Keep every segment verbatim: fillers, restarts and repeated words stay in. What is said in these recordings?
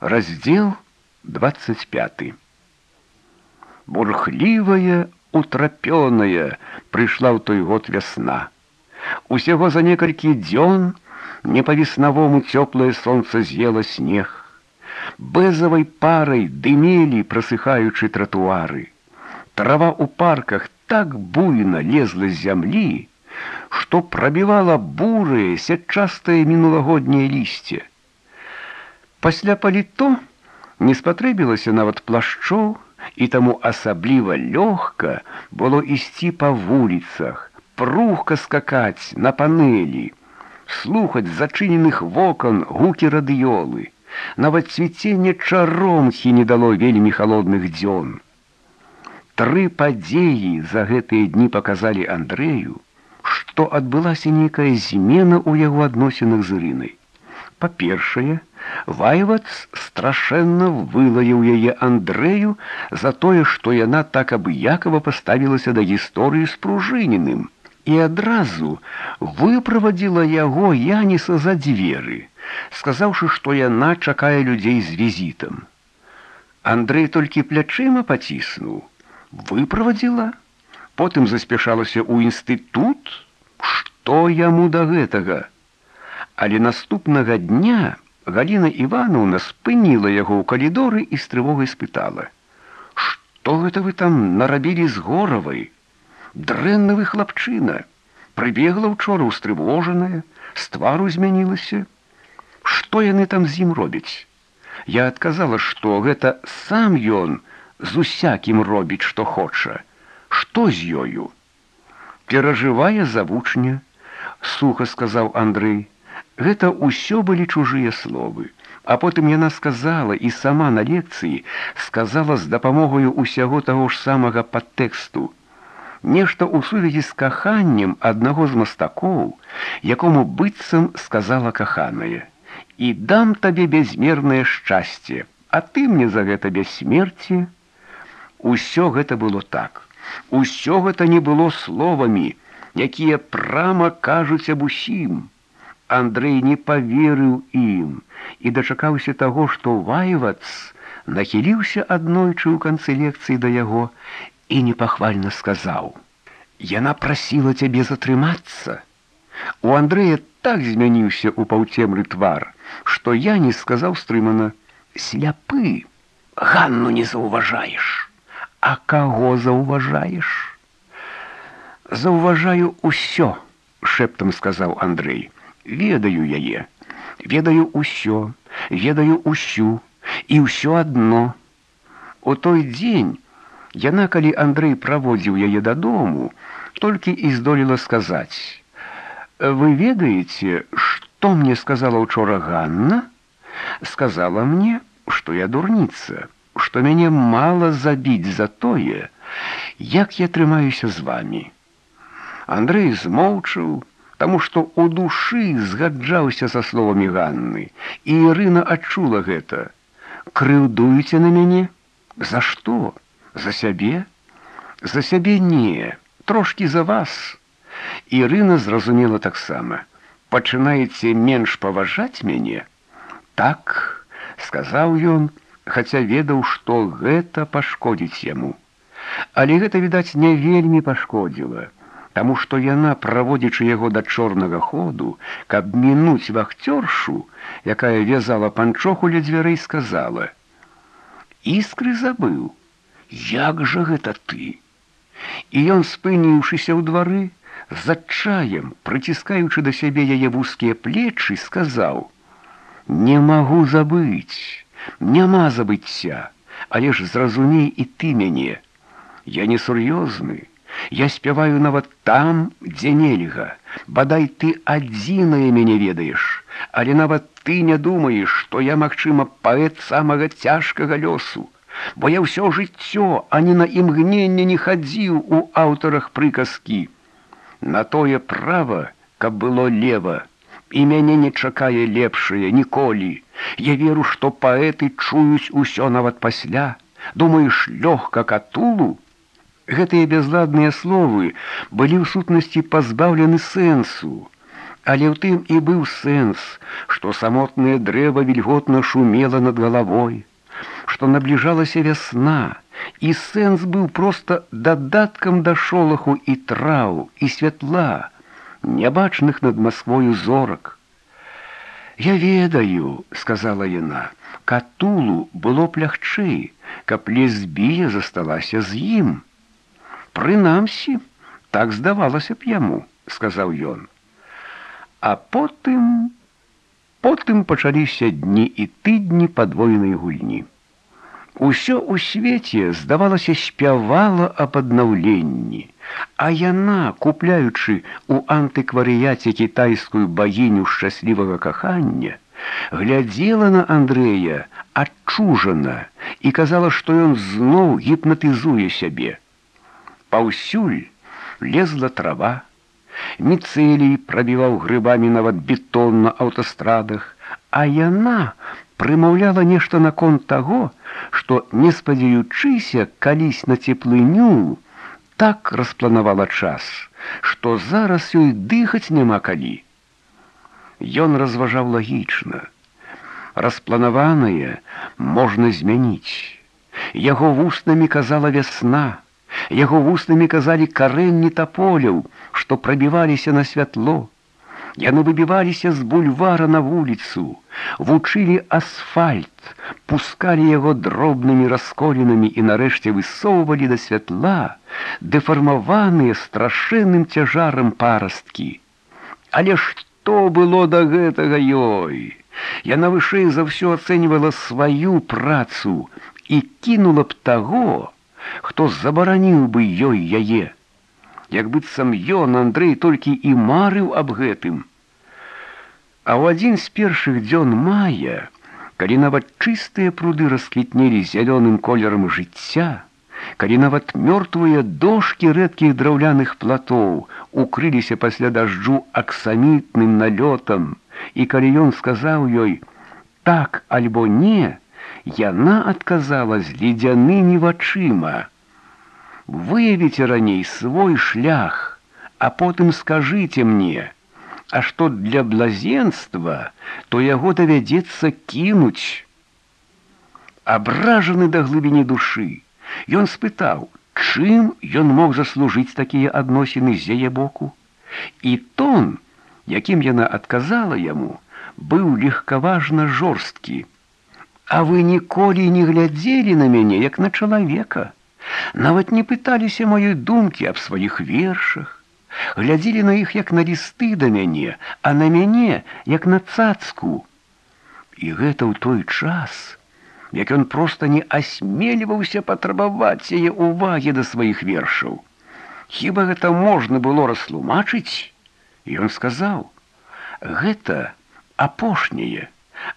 Раздел двадцать пятый. Бурхливая, утрапёная прыйшла ў той год вясна. Усяго за некалькі дзён не па-веснавому цёплае сонца з'ела снег. Бэзавай парай дымелі, прасыхаючы тратуары. Трава ў парках так буйна лезла з зямлі, што прабівала бурае, сятчастае мінулагодняе лісце. Пасля паліто не спатрэбілася нават плашчоў, і таму асабліва лёгка было ісці па вуліцах, прухка скакаць на панэлі, слухаць з зачыненых вокон гукі радыёлы. Нават цвіценне чаромхі не дало вельмі халодных дзён. Тры падзеі за гэтыя дні паказалі Андрэю, што адбылася нейкая змена ў яго адносінах з Ірынай. Па-першае, Вайвац страшэнна вылаяў яе Андрэю за тое, што яна так абыякава паставілася да гісторыі з Пружыніным і адразу выправадзіла яго Яніса за дзверы, сказаўшы, што яна чакае людзей з візітам. Андрэй толькі плячыма паціснуў. Выправадзіла? Потым заспяшалася ў інстытут? Што яму да гэтага? Але наступнага дня Галіна Івановна спыніла яго ў калідоры і з трывогай спытала: «Што гэта вы там нарабілі з Горавай? Дрэнны вы хлапчына. Прыбегла ўчора устрывожаная, з твару змянілася. Што яны там з ім робяць?» Я адказала, што гэта сам ён з усякім робіць, што хоча. Што з ёю? «Перажывае за вучня», — суха сказаў Андрэй. Гэта ўсё былі чужыя словы. А потым яна сказала, і сама на лекцыі сказала з дапамогаю ўсяго таго ж самага падтэксту. Нешта ў сувязі з каханнем аднаго з мастакоў, якому быццам сказала каханая: «І дам табе бязмернае шчасце, а ты мне за гэта бяссмерці». Усё гэта было так. Усё гэта не было словамі, якія прама кажуць аб усім. Андрэй не паверыў ім і дачакаўся таго, што Вайвац нахіліўся аднойчы ў канцы лекцыі да яго і непахвальна сказаў: «Яна прасіла цябе затрымацца». У Андрэя так змяніўся ў паўцемры твар, што я не сказаў стрымана: «Сляпы, Ганну не заўважаеш». «А каго заўважаеш?» «Заўважаю ўсё», — шэптам сказаў Андрэй. «Ведаю яе, ведаю ўсё, ведаю ўсю, і ўсё адно». У той дзень яна, калі Андрэй праводзіў яе дадому, толькі і здолела сказаць: «Вы ведаеце, што мне сказала ўчора Ганна? Сказала мне, што я дурніца, што мяне мала забіць за тое, як я трымаюся з вамі». Андрэй змоўчаў, таму што ў душы згаджаўся са словамі Ганны, і Ірына адчула гэта. «Крыўдуеце на мяне? За што? За сябе?» «За сябе не, трошкі за вас». Ірына зразумела таксама. «Пачынаеце менш паважаць мяне?» «Так», — сказаў ён, хаця ведаў, што гэта пашкодзіць яму. Але гэта, відаць, не вельмі пашкодзіла, таму што яна, праводзячы яго да чорнага ходу, каб мінуць вахцёршу, якая вязала панчоху ля дзвярэй, сказала: «Іскры забыў, як жа гэта ты?» І ён, спыніўшыся ў двары, з адчаем, прыціскаючы да сябе яе вузкія плечы, сказаў: «Не магу забыць, няма забыцця, але ж зразумей і ты мяне. Я не сур'ёзны. Я спяваю нават там, дзе нельга. Бадай ты адзінае мяне ведаеш, але нават ты не думаеш, што я, магчыма, паэт самага цяжкага лёсу, бо я ўсё жыццё ані на імгненне не хадзіў у аўтарах прыказкі. На тое права, каб было лева, і мяне не чакае лепшае ніколі. Я веру, што паэты чуюць усё нават пасля. Думаеш, лёгка катулу?» Гэтыя бязладныя словы былі ў сутнасці пазбаўлены сэнсу, Але ў тым і быў сэнс, што самотнае дрэва вільготна шумела над галавой, што набліжалася вясна, і сэнс быў проста дадаткам да шолаху і траў, і святла, нябачных над Масквою зорак. «Я ведаю», — сказала яна, — «Катулу было б лягчэй, каб лесбія засталася з ім». «Прынамсі, так здавалася б яму», — сказаў ён. А потым... Потым пачаліся дні і тыдні падвойнай гульні. Усё ў свеце, здавалася, спявала аб аднаўленні, а яна, купляючы ў антыкварыяце кітайскую багіню шчаслівага кахання, глядзела на Андрэя адчужана і казала, што ён зноў гіпнатызуе сябе. Паўсюль лезла трава, міцэлій прабіваў грыбамі нават бетон на аўтастрадах, а яна прымаўляла нешта наконт таго, што, не спадзяючыся калісь на цеплыню, так распланавала час, што зараз ёй дыхаць няма калі. Ён разважаў лагічна. Распланаванае можна змяніць. Яго вуснамі казала вясна, яго вуснамі казалі карэнні таполяў, што прабіваліся на святло. Яны выбіваліся з бульвара на вуліцу, вучылі асфальт, пускалі яго дробнымі расколінамі і нарэшце высоўвалі да святла дэфармаваныя страшэнным цяжарам парасткі. Але што было да гэтага ёй? Яна вышэй за ўсё ацэньвала сваю працу і кінула б таго, хто забараніў бы ёй яе. Як быццам ён, Андрэй, толькі і марыў аб гэтым. А ў адзін з першых дзён мая, калі нават чыстыя пруды расквітнелі зялёным колерам жыцця, калі нават мёртвыя дошкі рэдкіх драўляных платоў укрыліся пасля дажджу аксамітным налётам, і калі ён сказаў ёй «так альбо не», яна адказала з ледзянымі вачыма: «Выявіце раней свой шлях, а потым скажыце мне, а што для блазенства, то яго давядзецца кінуць». Абражаны да глыбіні душы, ён спытаў, чым ён мог заслужыць такія адносіны з яе боку. І тон, якім яна адказала яму, быў легкаважна жорсткі. «А вы ніколі не глядзелі на мяне, як на чалавека, нават не пыталіся маёй думкі аб сваіх вершах, глядзелі на іх як на лісты да мяне, а на мяне як на цацку». І гэта ў той час, як ён проста не асмельваўся патрабаваць яе ўвагі да сваіх вершаў. Хіба гэта можна было растлумачыць? Ён сказаў: «Гэта апошняе,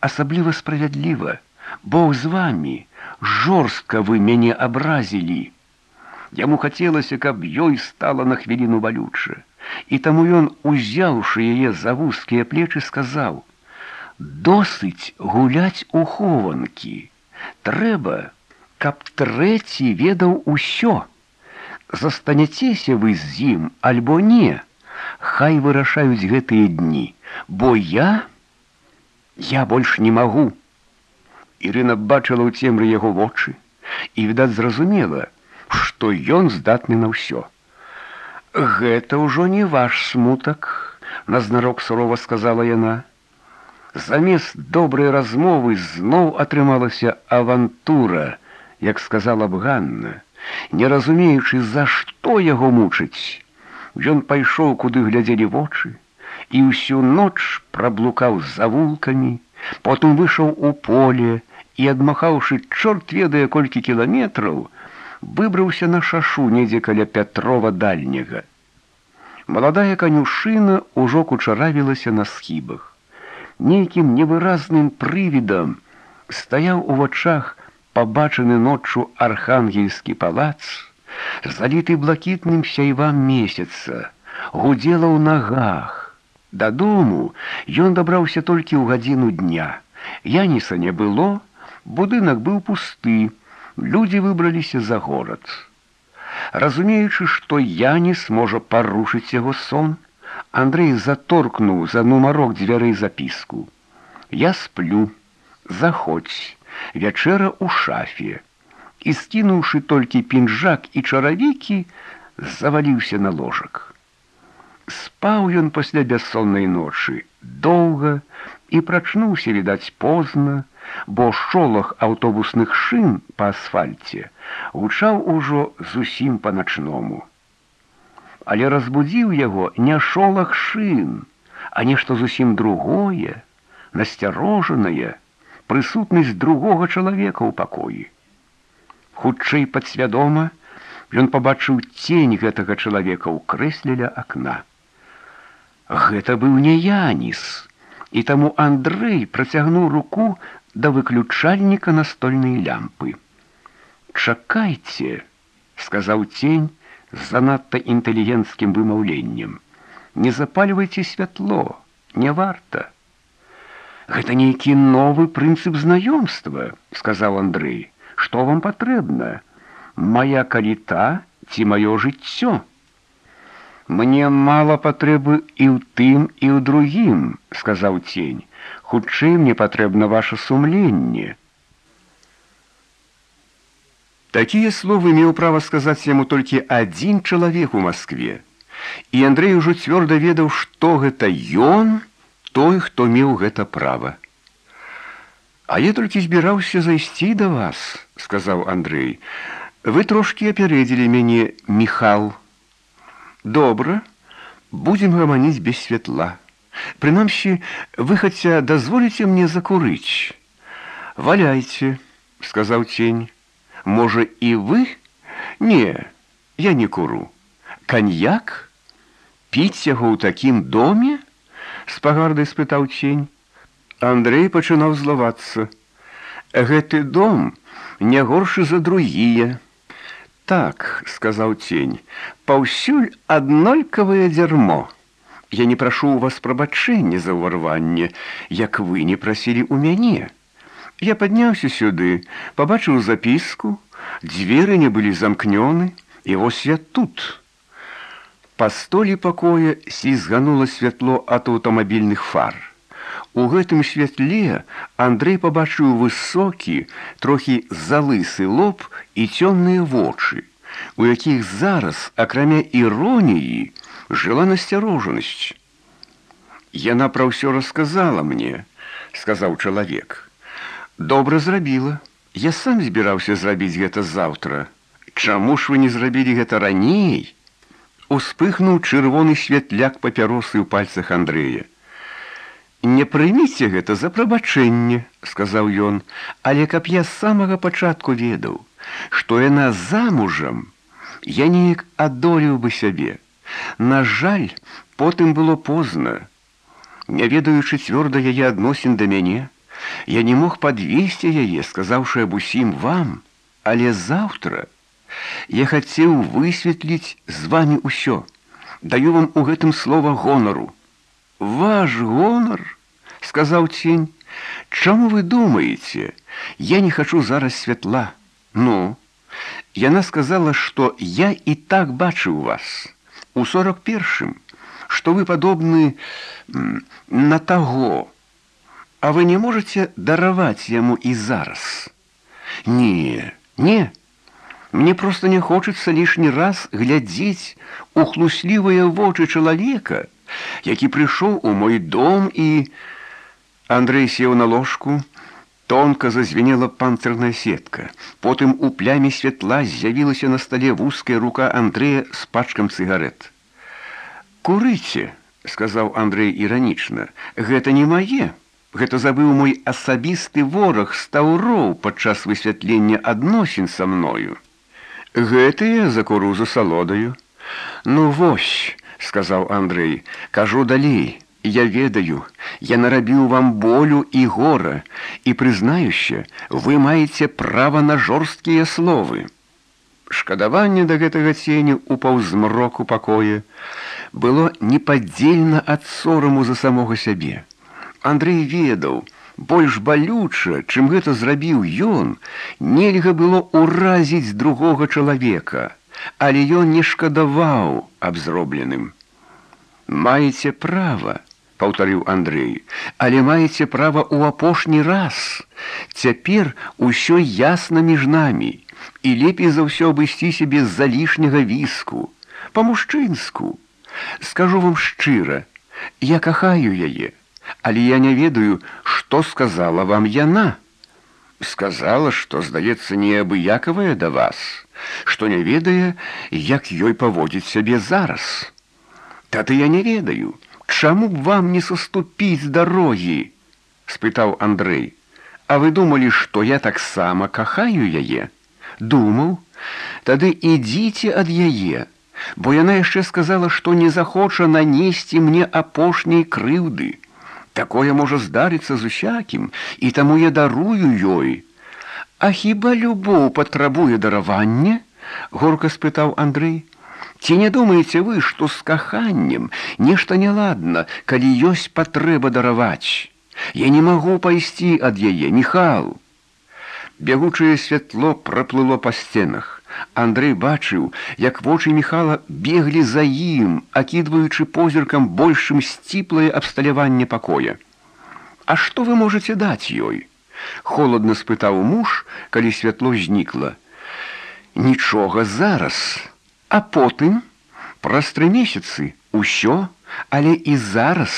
асабліва справядліва. Бог з вамі, жорстка вы мяне абразілі». Яму хацелася, каб ёй стала на хвіліну балюча, і таму ён, узяўшы яе за вузкія плечы, сказаў: «Досыць гуляць у хованкі. Трэба, каб трэці ведаў усё. Застанецеся вы з ім альбо не, хай вырашаюць гэтыя дні, бо я... я больш не магу». Ірына бачыла ў цемры яго вочы і, відаць, зразумела, што ён здатны на ўсё. «Гэта ўжо не ваш смутак», — назнарок сурова сказала яна. Замест добрай размовы зноў атрымалася авантура, як сказала б Ганна, не разумеючы, за што яго мучыць. Ён пайшоў, куды глядзелі вочы, і ўсю ноч праблукаў з завулкамі, потым выйшаў у поле і, адмахаўшы чорт ведае колькі кіламетраў, выбраўся на шашу недзе каля Пятрова дальняга. Маладая канюшына ўжо кучаравілася на схібах. Нейкім невыразным прывідам стаяў у вачах пабачаны ноччу архангельскі палац, заліты блакітным сяйвам месяца, гудзела ў нагах. Дадому ён дабраўся толькі ў гадзіну дня. Яніса не было, будынак быў пусты, людзі выбраліся за горад. Разумеючы, што Яніс можа парушыць яго сон, Андрэй заторкнуў за нумарок дзвярэй запіску. «Я сплю. Заходзь. Вячэра ў шафе». І, скінуўшы толькі пінжак і чаравікі, заваліўся на ложак. Спаў ён пасля бяссоннай ночы доўга і прачнуўся, відаць, позна, бо шолах аўтобусных шын па асфальце гучаў ужо зусім па-начному. Але разбудзіў яго не шолах шын, а нешта зусім другое, насцярожанае, прысутнасць другога чалавека ў пакоі. Хутчэй падсвядома ён пабачыў цень гэтага чалавека ў крэсле ля акна. Гэта быў не Яніс, і таму Андрэй працягнуў руку да выключальніка настольнай лямпы. «Чакайце», — сказаў цень з занадта інтэлігенцкім вымаўленнем. «Не запальвайце святло, не варта». «Гэта нейкі новы прынцып знаёмства», — сказаў Андрэй. «Што вам патрэбна? Мая каліта ці маё жыццё?» «Мне мала патрэбы і ў тым, і ў другім», — сказаў цень. «Хутчэй мне патрэбна ваша сумленне». Такія словы меў права сказаць яму толькі адзін чалавек у Маскве. І Андрэй ужо цвёрда ведаў, што гэта ён, той, хто меў гэта права. «А я толькі збіраўся зайсці да вас», — сказаў Андрэй. «Вы трошкі апярэдзілі мяне, Міхал». «Добра, будзем гаманіць без святла. Прынамсі, вы хаця дазволіце мне закурыць». «Валяйце», — сказаў цень. «Можа, і вы?» «Не, я не куру». «Каньяк? Піць яго ў такім доме?» — з пагардай спытаў цень. Андрэй пачынаў злавацца. «Гэты дом не горшы за другія». «Так», — сказаў цень, — «паўсюль аднолькавае дзярмо. Я не прашу ў вас прабачэння за ўварванне, як вы не прасілі ў мяне. Я падняўся сюды, пабачыў запіску, дзверы не былі замкнёны, і вось я тут». Па столі пакоя слізганула святло ад аўтамабільных фар. У гэтым святле Андрэй пабачыў высокі, трохі залысы лоб і цёмныя вочы, у якіх зараз, акрамя іроніі, жыла насцярожанасць. «Яна пра ўсё расказала мне», — сказаў чалавек. «Добра зрабіла. Я сам збіраўся зрабіць гэта заўтра. Чаму ж вы не зрабілі гэта раней?» Успыхнуў чырвоны святляк папяросы ў пальцах Андрэя. «Не прыміце гэта за прабачэнне», — сказаў ён, «але каб я з самага пачатку ведаў, што яна замужам, я неяк адолеў бы сябе. На жаль, потым было позна. Не ведаючы цвёрда яе адносін да мяне, я не мог падвесці яе, сказаўшы аб усім вам, але заўтра я хацеў высветліць з вамі ўсё. Даю вам у гэтым слова гонару». «Ваш гонар?» — сказаў цень. «Чаму вы думаеце? Я не хачу зараз святла». «Ну?» «Яна сказала, што я і так бачыў вас у сорок першым, што вы падобны на таго. А вы не можаце дараваць яму і зараз?» «Не, не. Мне проста не хочацца лішні раз глядзець у хлуслівыя вочы чалавека, які прыйшоў у мой дом і...» Андрэй сеў на ложку, тонка зазвенела панцырная сетка. Потым у пляме святла з'явілася на стале вузкая рука Андрэя з пачкам цыгарэт. «Курыце», — сказаў Андрэй іранічна, — «гэта не мае. Гэта забыў мой асабісты вораг Стаўроў падчас высвятлення адносін са мною. Гэтыя закуру за салодаю». «Ну вось», — сказаў Андрэй, — «кажу далей. Я ведаю, я нарабіў вам болю і гора, і, прызнаюся, вы маеце права на жорсткія словы». Шкадаванне да гэтага ценю ў паўзмроку пакоя было непадзельна ад сораму за самога сябе. Андрэй ведаў, больш балюча, чым гэта зрабіў ён, нельга было ўразіць другога чалавека, але ён не шкадаваў аб зробленым. Маеце права, паўтарыў Андрэй, але маеце права ў апошні раз. Цяпер усё ясна між намі, і лепей за ўсё абысціся без залішняга віску, па-мужчынску. Скажу вам шчыра, я кахаю яе, але я не ведаю, што сказала вам яна. Сказала, што, здаецца, неабыякавая да вас, што не ведае, як ёй паводзіць сябе зараз. Тады я не ведаю, чаму б вам не саступіць з дарогі? Спытаў Андрэй. А вы думалі, што я таксама кахаю яе? Думаў? Тады ідзіце ад яе, бо яна яшчэ сказала, што не захоча нанесці мне апошняй крыўды. Такое можа здарыцца з усякім, і таму я дарую ёй. А хіба любоў патрабуе даравання? Горка спытаў Андрэй. Ці не думаеце вы, што з каханнем нешта няладна, калі ёсць патрэба дараваць? Я не магу пайсці ад яе, Міхал. Бягучае святло праплыло па сценах. Андрэй бачыў, як вочы Міхала беглі за ім, акідваючы позіркам большым сціплае абсталяванне пакоя. А што вы можаце даць ёй? Холадна спытаў муж, калі святло знікла. Нічога зараз. А потым, праз тры месяцы, усё, але і зараз,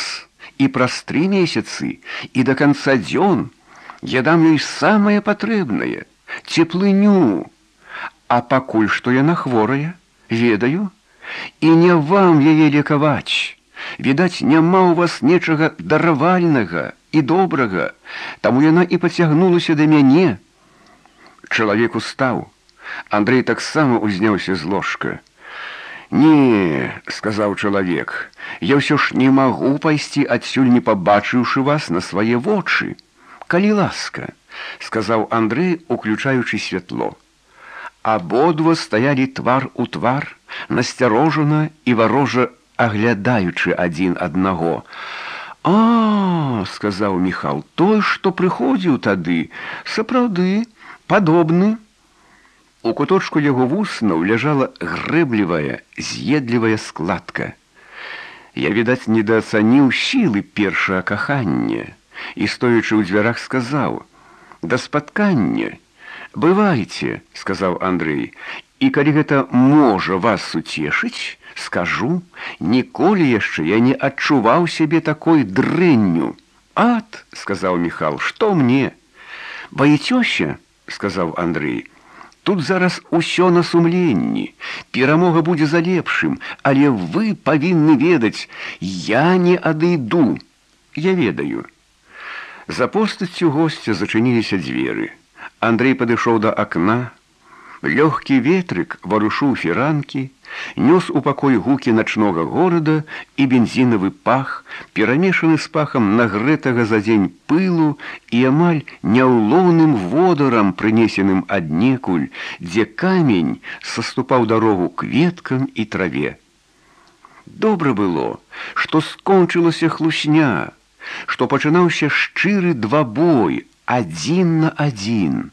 і праз тры месяцы, і да канца дзён я дам ёй самае патрэбнае, цеплыню. А пакуль што яна хворая, ведаю, і не вам яе лекаваць. Відаць, няма ў вас нечага даравальнага і добрага, таму яна і пацягнулася да мяне. Чалавек устаў. Андрэй таксама узняўся з ложка. «Не, — сказаў чалавек, — я ўсё ж не магу пайсці адсюль, не пабачыўшы вас на свае вочы. Калі ласка, — сказаў Андрэй, уключаючы святло. Абодва стаялі твар у твар, насцярожана і варожа аглядаючы адзін аднаго. «А, — сказаў Міхал, — той, што прыходзіў тады, сапраўды, падобны». У куточку яго вуснаў ляжала грэблівая, з'едлівая складка. Я, відаць, недаацаніў сілы першага кахання і, стоячы ў дзвярах, сказаў: «Да спаткання. Бывайце, — сказаў Андрэй, — і калі гэта можа вас суцешыць, скажу, ніколі яшчэ я не адчуваў сябе такой дрэнню». «Ат, — сказаў Міхал, — што мне?» «Баіцёся, — сказаў Андрэй, — тут зараз усё на сумленні, перамога будзе за лепшым, але вы павінны ведаць, я не адыду. Я ведаю». За постаццю госця зачыніліся дзверы. Андрэй падышоў да акна. Лёгкі ветрык варушыў фіранкі, нёс у пакой гукі начнога горада і бензінавы пах, перамешаны з пахам нагрэтага за дзень пылу і амаль няўлоўным водарам, прынесеным аднекуль, дзе камень саступаў дарогу кветкам і траве. Добра было, што скончылася хлусня, што пачынаўся шчыры двабой, адзін на адзін.